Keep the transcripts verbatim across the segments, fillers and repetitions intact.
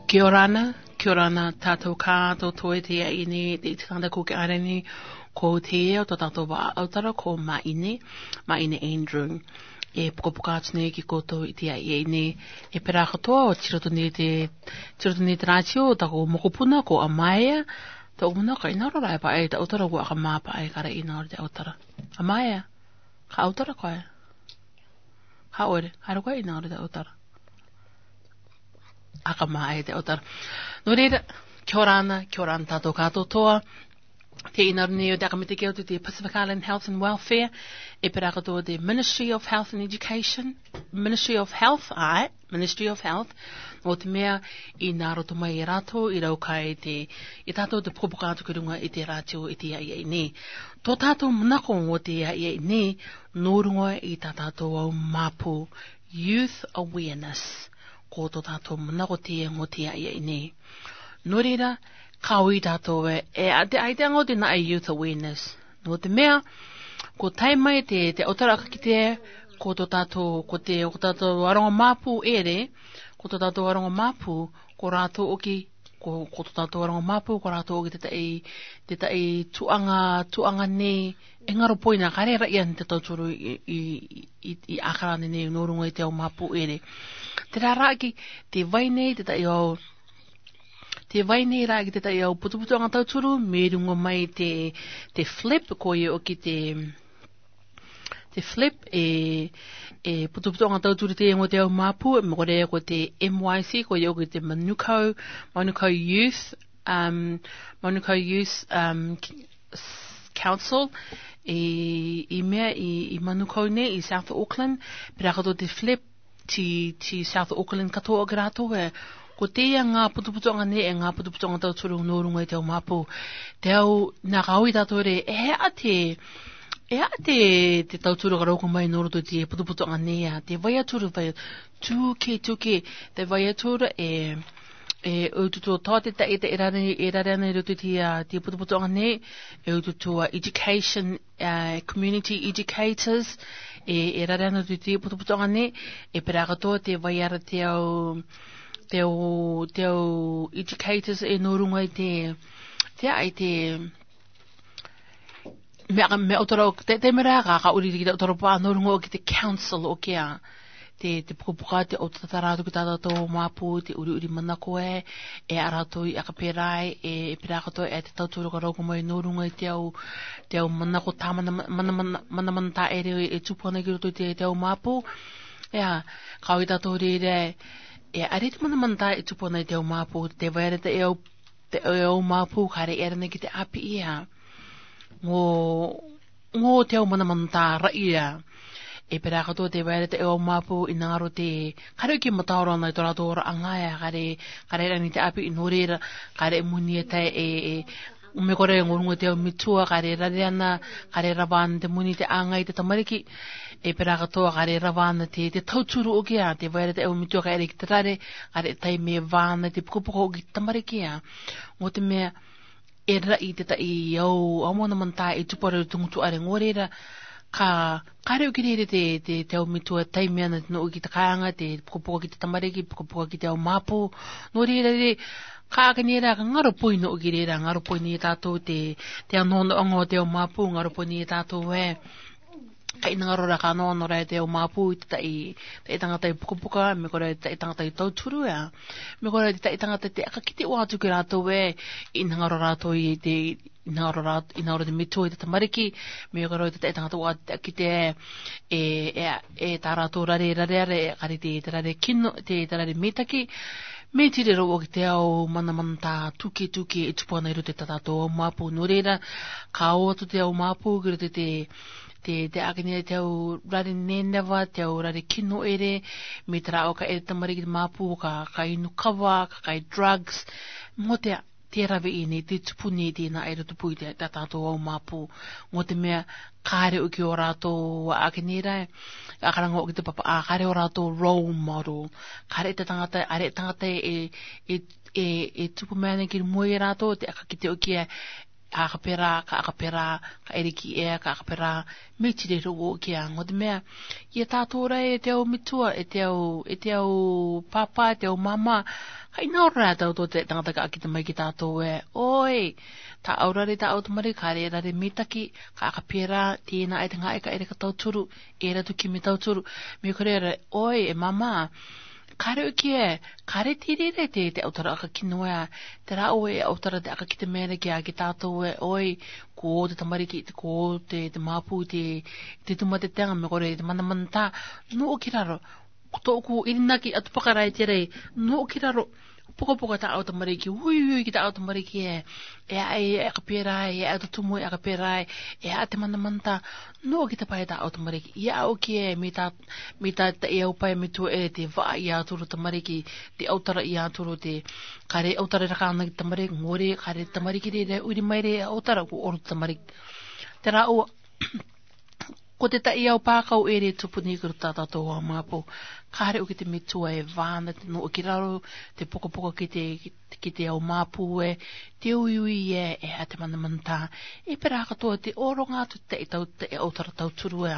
Kia ora na, kia ora na tātou kātoa i teie nei, te iti tangata ko Ke Areni, ko teie o tō tātou vā autara ko Maine, Maine Andrew. E pukapuka atu nei ki a koutou i teie nei, e pera katoa, tiro atu nei te, tiro atu nei te rātio, taku mokopuna ko Amaia, tō muna ka ina ora rae pae, ta autara ko aka mā pae, kare ina ora te autara. Amaia, ka autara koe? Ka ore, haere koe ina ora te autara. Aka mā e te autara. Nō reira, kia ora na, kia ora na tātou kātoa. Te ina ora nei o te aka mita ke o te Pacific Island Health and Welfare, e pera katoa te Ministry of Health and Education, Ministry of Health, ae, Ministry of Health, nō te mea i nā roto mai e rātou i rau kai te, i tātou te pukapuka atu ki runga i te rātio i teie nei. Tō tātou manako o teie nei, nō runga i tā tātou au māpu, youth awareness, ko tō tātou manako teie o teie nei. Nō reira, ka ui tātou e, e a te, ai te anga o te nā e youth awareness. Nō te mea, ko tae mai te, te autara aka kite, ko tō tātou, ko te, ko tātou aronga māpu ere, ko tō tātou aronga māpu, ko rātou oki, ko, ko tō tātou aronga māpu, ko rātou oki te tai, te tai tuanga, tuanga nei, e ngaro poina, kare ra'i ana te tauturu i, i, i, i akara nei nō runga i te au māpu ere. Te rāraki, te vai nei, te tai au, te vai nei rā ki te tai au putuputuanga tauturu, me runga mai te, te flip, ko ia oki te, te flip, e, e putuputuanga tauturu te ngo te au māpu, me kore ko te M Y C, ko ia oki te Manukau, Manukau Youth, um, Manukau Youth, um, Council, i, i mea, i, i Manukau nei, i South Auckland, pera katoa te flip, ti, ti South Auckland katoa ki rātou e, ko teie ngā putuputuanga nei, e ngā putuputuanga tauturu nō runga i te au māpu. Te au, nā ka ui tātou re, e a te, e a te, te tauturu ka rauko mai nō roto te putuputuanga nei a, te vai atu ra vai, tū ke, tū ke, te vai atu ra e, e, o tutu tō te tai, te e rare, e rare ana i roto te, a, te putuputuanga nei, e o tutu a education, a, community educators, e, e rare ana i roto te putuputuanga nei, e pera katoa te vai ara te au, te au, te au educators e nō runga i te, te ai te, me, me autara, te, te mera ka, ka uri ki te autara pa nō runga oki te council oki a. Te, te pukapuka, te autara atu ki tā tātou māpu, te uri uri manako e, e a rātou i aka pera ai, e, e pera katoa e te tauturu ka rauko mai nō runga i te au, te au manako tā mana, mana, mana, mana, mana tā ere e tupu ana ki roto i te, te au māpu. E a, ka ui tātou reira, e a re te mana mana tā e tupu ana i te au māpu, te vai ara te au, te au māpu, ka re era nei ki te api ia. Ngo, ngo te au mana mana tā ra'i ia. E pera katoa te vai ara te au māpu i nā ngaro te, ka re ki mataora ana i tō rātou ora anga ia, ka re, ka re era nei te api i nō reira, ka re muni e tae e, e, me kore ngo runga te au mitua, ka re rare ana, ka re rava ana te muni te anga i te tamariki, e pera katoa ka re rava ana te, te tauturu oki a, te vai ara te au mitua ka ere ki te rare, ka re tae me vā ana te pukapuka oki te tamariki a. Ngo te mea, e ra'i te tai au, au mana mana tā e tupu ara te ngutu are ngo reira, ka, ka re oki reira te, te, te au mitua tae me ana te nō oki te kāinga, te pukapuka ki te tamariki, pukapuka ki te au māpu, nō reira re, ka aka nei ra, ka ngaro poi nō oki reira, ngaro poi nei tātou te, te anoanoanga o te au māpu, ngaro poi nei tātou e, ka ina ngaro ra ka anoanoa ra te au māpu, i te tai, te tangata i pukapuka, me kore te tangata i tauturu ia. Me kore te tangata te aka kite o atu ki rātou e, ina ngaro rātou i te, ina ngaro rā, ina ngaro te mitua i te tamariki, me kore te tangata o atu ki te, e, e, e tā rātou rare, rare, rare, kare te, te rare kino, te, te rare mitaki, me tire rau oki te au mana mana tā tuke, tuke, e tupu ana i roto i tā tātou au māpu nō reira, ka o atu te au māpu, ki roto i te, te, te aka nei te au rare neneva, te au rare kino ere, me te rā o ka ere tamariki te māpu, ka, ka inu kava, ka kai drugs, mo te, te rave i nei, te tupu nei, te nā ere tupu i te, tā tātou au māpu, mo te mea, ka re oki o rātou, aka nei ra, aka ra ngo oki te papa, a, ka re o rātou role model, ka re te tangata, a re tangata e, e, e, e tupu mai ana ki mua i a rātou, te aka kite oki e, a kapera, ka a kapera, ka ere ki e, ka a kapera, me tire ro o ki a. Ngot mea, e tato ra e te au mitua, e te au, e te au papa, e te au mama, ka ina ora tato te tangata ka akite mai ki tato e, oi, ta au rare, ta au tamariki, ka rare mitaki, ka a kapera, te na e te nga e ka ere ka tauturu, era tu kimi tauturu, me kore ra, oi, e mama, kare o ki e, kare tire re te, te autara aka kino e, te ra o e autara te aka kite mere ki a ki tato e, oi, ko te tamariki, ko te, te mapu, te, te tuma te tenga me kore, te mana mana ta, no o ki raro, to ku irinaki atu pakara e te re, no o ki raro, poka poka ta au tamariki, ui, ui, ki ta au tamariki e, e a, e a kapera e, e a tutumu e a kapera e, e a te mana mana ta, no o ki ta pai ta au tamariki, e a o ki e, me ta, me ta, ta e au pai me tu e te va i a turu tamariki, te autara i a turu te, kare autara ra ka na tamariki, ngore, kare tamariki re, re, uri mai re, autara ku oru tamariki. Te ra o, ko te ta i au pakau ere tupu ni kuru ta tato wa mapu. Kare o ki te mitua e vana te no o ki raro, te poka poka ki te, ki te au mapu e, te ui ui e, e a te mana mana ta. E pera ka to te oro nga tu te tau, te autara tauturu e.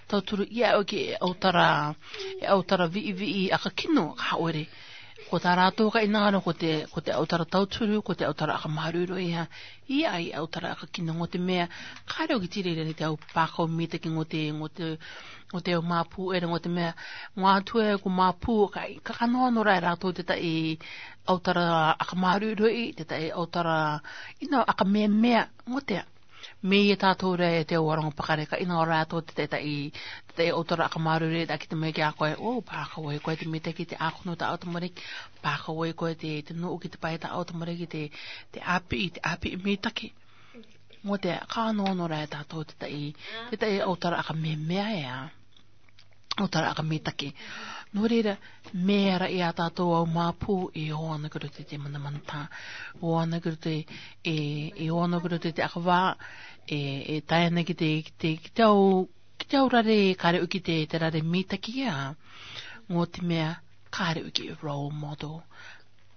Tauturu i a o ki e autara, e autara vi vi i aka kino, ka ore. Ko ta rato ka ina ano ko te, ko te autara tauturu, ko te autara aka maruru i a. I a i autara aka kino ngot mea, kare o ki tire re te au pakau mitaki ngot, ngot, ngot au mapu ere ngot mea, ngua tu e ko mapu, ka, ka ka no no ra ra to te ta i autara aka maruru i, te ta i autara, ina aka me mea, ngot e. Me e tato re te au arong pakare ka ina ora to te ta i, te ta i autara aka maruru i, ta ki te me ki a koe, o, pakau e koe te mitaki te ako no ta au tamariki, pakau e koe te, te no o ki te pai ta au tamariki te, te api, te api mitaki. Ngot e, ka no no ra e tato te ta i, te ta i autara aka me mea e a. Autara aka mitaki. No reira, me ara i a tato au mapu, e o ana kuru te te mana mana ta. O ana kuru te, e, e o ana kuru te te aka va, e, e tae ana ki te, ki te, ki te au, ki te au rare, kare o ki te, te rare mitaki a. Ngot mea, kare o ki role model.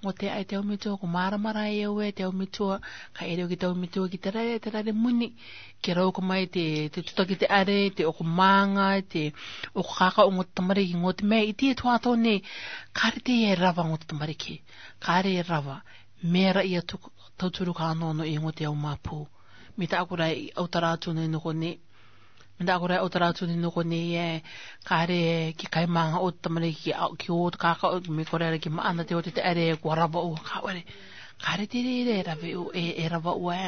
Ngot e ai te au mitua, ko mara mara e au e te au mitua, ka ere o ki te au mitua, ki te rare, te rare muni, ke rau ka mai te, te tuta ki te are, te oko manga, te oko kaka o ngot tamariki ngot mea, i te tua to ne, kare te e rava ngot tamariki, kare e rava, me ra i a tu, tauturu ka no no i ngot e au mapu. Me ta akura i autara tu ne no ko ne, me ta akura i autara tu ne no ko ne e, kare ki kai manga o tamariki ki a, ki o kaka o, me kore ra ki ma ana te o te te are, ko rava o ka ore. Kare te re re rave o, e, e rava o e.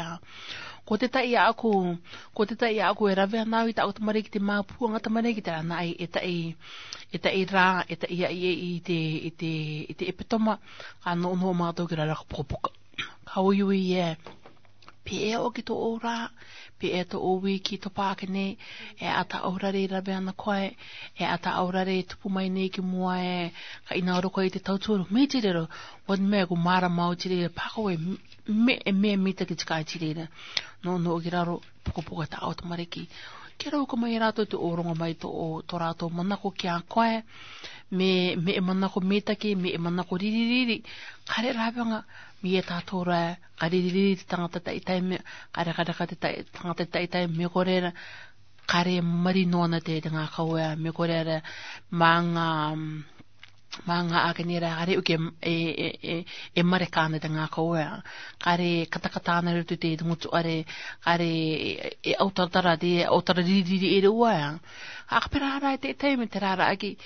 Ko te ta i a ko, ko te ta i a ko e rave ana i ta o tamariki te mapu anga tamariki te ra na i, e ta i, e ta i ra, e ta i a i e i te, i te, i te epitoma, ka no no ma to ki ra ra ka poka poka. Ka ui ui e. Pe e o ki to o ra, pe e to o wi ki to pa ke ne, e a ta o rare rave ana koe, e a ta o rare tupu mai ne ki mua e, ka ina oro koe te tauturu, me tire ro, ngot mea ko mara mau tire, pakau e, me, e me mitaki tika tire ra. No, no o ki raro, poka poka ta o tamariki. Ke rau ka mai rato te oronga mai to o, to rato manako ki a koe, me, me e manako mitaki, me e manako riri riri, kare ravanga, me e tato ra, ka riri riri te tangata ta i taime, kare kare ka te ta, tangata ta i taime kore ra, kare mari no ana te, te nga ka ue, me kore ra, manga, manga ake ne ra, kare o ke, e, e, e, e mare ka ana te nga ka ue, kare kata kata ana re tu te, te ngutu are, kare, e, e autara tara te, autara riri riri e re ue. Aka pera ra te taime te ra ra aki,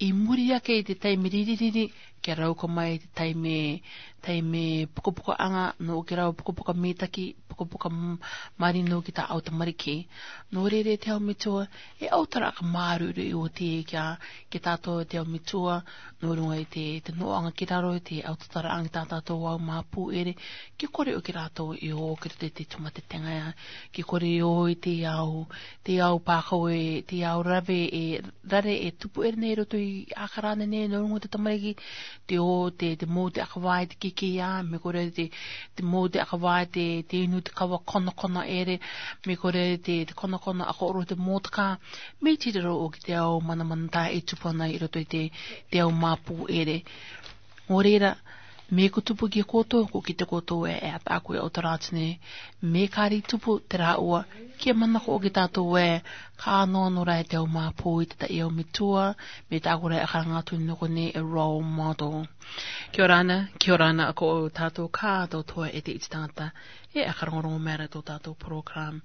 i muri ake te taime riri riri, ke rau ka mai te taime, taime poka poka anga, no ke rau poka poka mitaki, poka poka m-, mari no ki ta au tamariki. No re re te au mitua, e autara ka maruru i o te kia, ki tato te au mitua, no runga i te, te no anga ki raro i te autara anga ta tato au mapu ere, ki kore o ki rato i o ki te te tuma te tenga ia, ki kore i o i te au, te au pakau e, te au rave e, rare e tupu ere ne roto i a karane ne, no runga te tamariki, te o, te, te mou te akavai te kiki ia, me kore te, te mou te akavai te, te inu te kawa kona kona ere, me kore te, te kona kona ako oro te mou te ka, me tire ro o ki te au mana mana ta e tupu ana i roto i te, te au mapu ere. Ngorera, Me ko tupu ki a koutou, ko kite koutou ē, e ataʻa ko e ʻautaratune. Me kari tupu te rāua, ke manako ʻoki tātou ē, ka nō nō rā e te au māpū i te taʻi au metua, me taʻa ko rā e karanga atu nō konei e role model. Kia ora na, kia ora na ko tātou kātoa e te iti tangata, e ʻakarongorongo mai ra tō tātou program.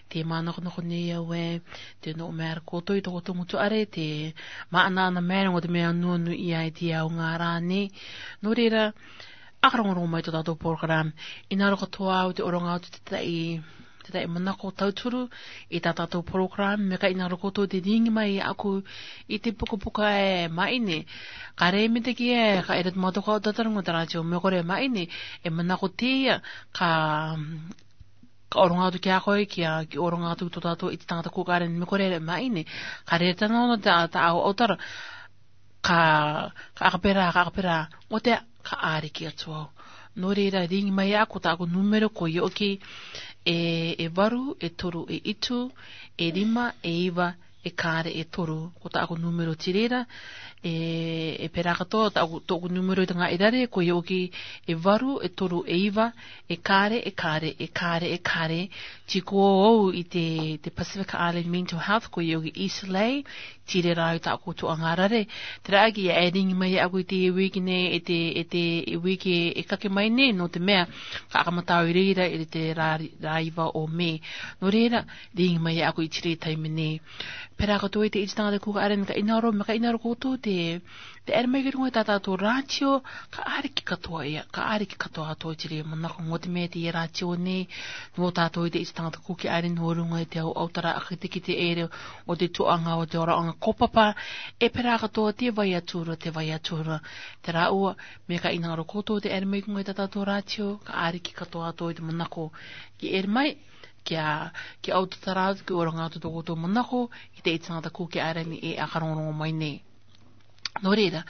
Te manakonako nei au ē, te nō mai ra koutou i tō koutou ngutu ʻare, te māʻanaʻana mai ra ʻo te meʻa nuanui ai te ao ngā rā nei. Nō reira, ʻakarongorongo mai tō tātou program. ʻInaro katoa au te ʻoronga atu te taʻi, te taʻi manako tauturu i tā tātou program, me ka ʻinaro koutou te ringi mai aku i te pukapuka ē maʻine. Ka rē mitaki ē, ka ʻere te mātou ka ʻautataranga te rātio me kore maʻine, e manako teie, ka, ka ʻoronga atu ki a koe, ki a, ki ʻoronga atu tō tātou iti tangata kūkaʻare me kore maʻine. Ka rē tana ona ta, ta au ʻautara. Ka, ka ʻakapē ra, ka ʻakapē ra, ʻo te, ka ʻāriki atu au. Nō reira, ringi mai aku, tāʻaku nūmero ko ioʻoki, e, e varu, e toru, e itu, e rima, e iva, e kare, e toru, ko tāʻaku nūmero tei reira, e, e pērā katoa, tāʻaku, tōʻaku nūmero i te ngaahi rare, ko ioʻoki, e varu, e toru, e iva, e kare, e kare, e kare, e kare, tei ko au i te, te Pacific Island Mental Health, ko ioʻoki Islay, tei reira au tāʻaku tuʻa ngā rare. Tērā ʻaki, e ringi mai aku i te wiki nei, e te, e te, e wiki e kake mai nei, nō te meʻa, ka ʻakamatau i reira, i te rā, rā iva o Me. Nō reira, ringi mai aku i te reira taime nei. Pērā katoa i te iti tangata kūkaʻare, ka ʻinaro, me ka ʻinaro koutou te, te ʻere mai ki runga i tā tātou rātio, ka ʻāriki katoa ia, ka ʻāriki katoa atu i te reira manako. Nō te meʻa te ia rātio nei, nō tātou i te iti tangata kūkaʻare nō runga i te au ʻautara ʻakakitekite ʻere ʻo te tuʻaʻanga ʻo te ʻoraʻanga kaupapa, e pērā katoa te vai atu ra, te vai atu ra. Te rāua, me ka ʻinaro koutou te ʻere mai ki runga i tā tātou rātio, ka ʻāriki katoa atu i te manako. Ke ʻere mai, kia, kia ʻautaratara atu, ke ʻoronga atu tō koutou manako i te iti tangata kūkaʻare nei e ʻakarongorongo mai nei. Nō reira,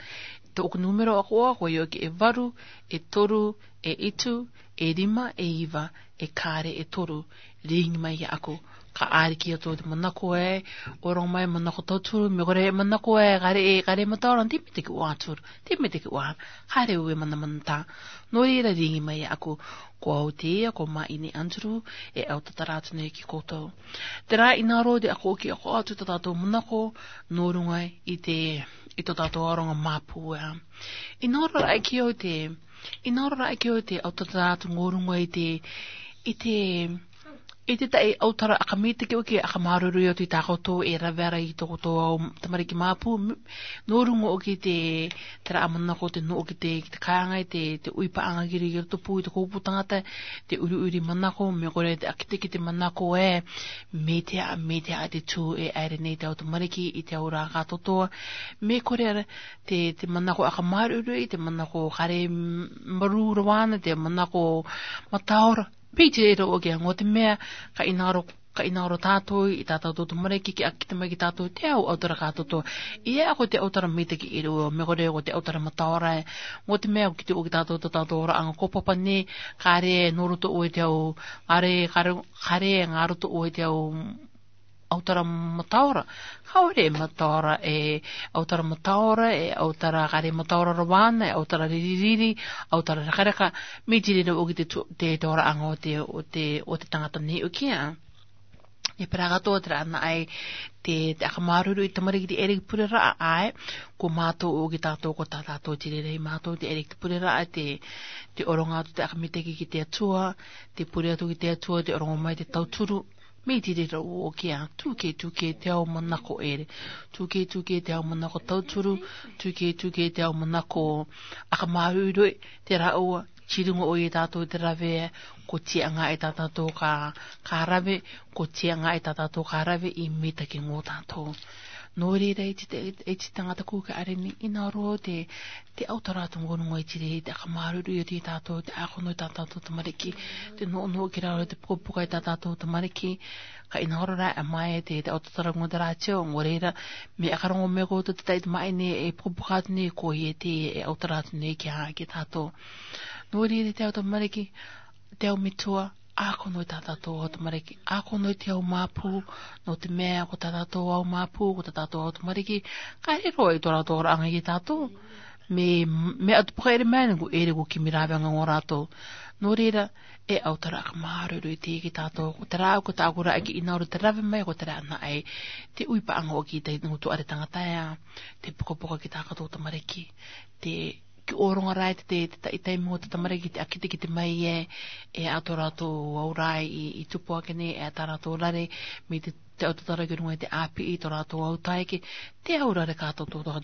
tōʻaku nūmero ʻakoʻa, ko ioʻoki e varu, e toru, e itu, e rima, e iva, e kare, e toru, ringi mai ia aku. Ka ʻāriki atu te manako ē, ʻoronga mai manako tauturu, me kore manako ē, ka rē, ka rē mataora, tei mitaki ʻoatu ra, tei mitaki ʻoatu ra, ka rē ue manamanatā. Nō reira, ringi mai ia aku, ko au teie, ko Maʻine Andrew, e ʻautaratara atu nei ki koutou. Tērā ʻinaro te ʻakoʻi ʻakoʻa atu tā tātou manako, nō runga i te, i tō tātou ʻaronga māpū ē. ʻInaro rā ʻaki au te, ʻinaro rā ʻaki au te ʻautaratara atu nō runga i te, i te, i te taʻi ʻautara ʻakamitaki ʻoki, ʻakamāuruuru atu i tā koutou e rave ra i tō koutou au tamariki māpū, m-, nō runga ʻoki te, tērā manako te nō ʻoki te, ki te kāinga i te, te ui paʻanga ki ri, ki roto pū i te kōpū tangata, te uriuri manako, me kore te ʻakakitekite manako ē, meitea, meitea te tū e ʻaere nei te au tamariki i te au rā kātoatoa, me kore te, te manako ʻakamāuruuru i te manako ka rē m-, marū ra vāna, te manako mataora. Piti e rō ʻoki a nō te meʻa, ka ʻinaro, ka ʻinaro tātou i tā tātou tamariki, ke ʻakakite mai ki tātou te au ʻautara kātoatoa. ʻIa, ko te ʻautara mitaki e rō, me kore ko te ʻautara mataora ē. Nō te meʻa, ko kite ʻoki tātou tō tātou ʻoraʻanga kaupapa nei, ka rē nō roto ʻoe te au, ka rē, ka rē, ka rē ngā roto ʻoe te au ʻautara mataora. Ka ʻore mataora e, ʻautara mataora e, ʻautara ka rē mataora ra vāna e, ʻautara riririri, ʻautara rakaraka, mei te reira ʻoki te tu-, te, te ʻoraʻanga ʻo te, ʻo te, ʻo te tangata nei ʻoki a. E pērā katoa terā ʻana ai te, te ʻakamāuruuru i te tamariki te ʻere ki pureraʻa ē, ko mātou ʻoki tātou, ko tā tātou te reira i mātou te ʻere ki te pureraʻa, te, te ʻoronga atu te ʻakamitaki ki te Atua, te pure atu ki te Atua, te ʻorongo mai te tauturu, mei te reira ʻoki a, tūkē, tūkē te au manako ʻere. Tūkē, tūkē te au manako tauturu, tūkē, tūkē te au manako ʻakamāuruuru, te rāua, tei runga ʻoia tātou te rave, ko tiaʻanga e tā tātou ka, ka rave, ko tiaʻanga e tā tātou ka rave i mitaki nō tātou. Nō reira e te, e te tangata kūkaʻare nei, ʻinaro te, te ʻautara atu nō runga i te reira, te ʻakamāuruuru i tā tātou, te ʻākono i tā tātou tamariki, te nō, nō ki raro te pukapuka i tā tātou tamariki, ka ʻinaro rā e mai te, te ʻautaratara nō te rātio, nō reira, mea ʻakarongo mai koutou te taʻi Maʻine e pukapuka atu nei, ko ia te, e ʻautara atu nei ki a, ki tātou. Nō reira te au tamariki, te au metua, ʻākono i tā tātou au tamariki, ʻākono i te au māpū, nō te meʻa ko tā tātou au māpū, ko tā tātou au tamariki, ka rē roa i tō rātou ʻoraʻanga i tātou. Me, me atu pakaere mai na ko ere ko kimi rāveaga o rātou. Nō reira, e ʻautaraʻa ka māuruuru i teie ki tātou. Ko te rā, ko tāʻaku rā ki ʻinaro te rave mai, ko te rā na ai. Te ui paʻanga o ki te ngutu are tangata ea. Te pukapuka ki tā kātou tamariki. Te ki ʻōroga rā te, te, te, te taimi o te tamariki te ʻakitekite mai e, e ʻato rātou au rā i, i tupu ake nei, e tā rātou rare, me te, te au tatara ki runga i te ʻāpiʻi, tō rātou au tae ke, te au rare kātou tō tō.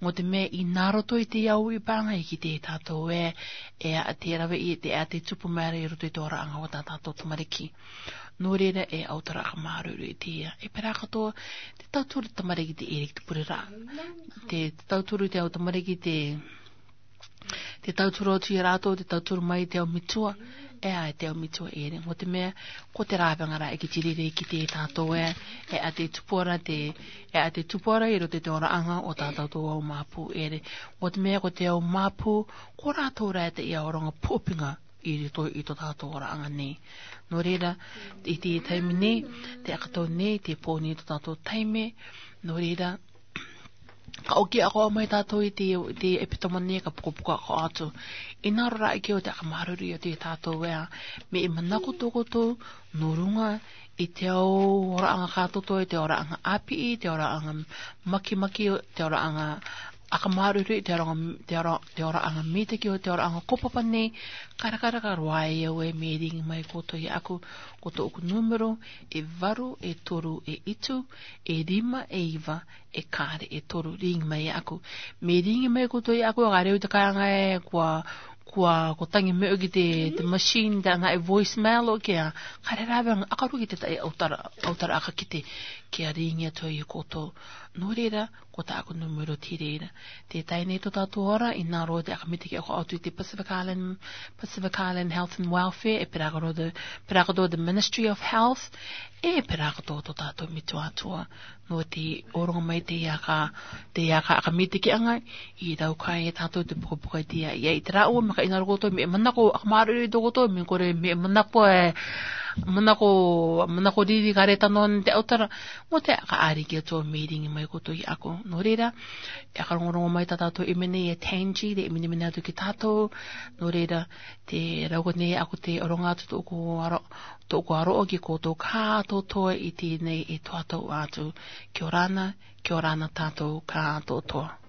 Mo te mea i nā roto i te au i pānga i ki te tātou e, e a te rave i te, a te tupu mai ra i roto i tō rāʻanga o tā tātou tamariki. Nō reira e ʻautaraʻa ka māuruuru i te ia. E pērā katoa, te tauturu tamariki te ere ki te pure rā. Te, te tauturu te au tamariki te, te tauturu atu i a rātou, te tauturu mai te au mitua, e ai te au mitua ere. Mo te mea, ko te rāveaga rā e ki te rere ki te tātou e, e a te tupu ra te, e a te tupu ra i roto i te oraʻanga o tā tātou au māpū ere. Mo te mea ko te au māpū, ko rātou rā te ia oronga pōpinga i roto i tō tātou oraʻanga nei. Nō reira, i te taimi nei, te ʻakatau nei, te pō nei tō tātou taime, nō reira, ka ʻoki ako mai tātou i te, te epitoma nei ka pukapuka ako atu. I nā rora ake o te aka māuruuru i atu i tātou ea, me i manako tō koutou, nō runga, i te au oraʻanga kātoto, i te oraʻanga ʻāpiʻi, te oraʻanga makimaki, te oraʻanga aka māuruuru, te oraʻanga, te ora-, te oraʻanga mitaki o te oraʻanga kopapa nei, karakaraka roa e au e me ringi mai koutou i aku, ko tōʻoku nūmero, e varu, e toru, e itu, e rima, e iva, e kare, e toru, ringi mai aku. Me ringi mai koutou i aku, ka reo te kāinga e, kua, kua, ko tangi meʻo ki te, te machine, te ana e voicemail o kea, ka re rāveaga, ʻakaru ki te tai ʻautara, ʻautara aka ki te, kia ringi atu i koutou. Nō reira, ko tāʻaku nūmero te reira. Te tai nei tō tātou ora, i nā roa te aka mitaki ako atu i te Pacific Island, Pacific Island Health and Welfare, e pērā katoa te, pērā katoa te Ministry of Health, e pērā katoa tō tātou mituatua. Nō te ʻōroga mai te aka, te aka aka mitaki anga, i rau kai e tātou te pukapuka i te ia, ia i te rā ua, me ka i nā roa koutou, me manako, aka māuruuru i tō koutou, me kore, me manako e, manako, manako riri ka re tano te ʻautara, mo te aka ari ki a tō me ringi mai koutou i ako. Nō reira, e aka rongorongo mai tā tātou i mene e Tangi, te i mene mene atu ki tātou, nō reira, te rau ko nei ako te oronga atu tōʻoku aro, tōʻoku aro o ki koutou kātotoa i tēnei e tō tātou atu. Kia ora na, kia ora na tātou kātotoa.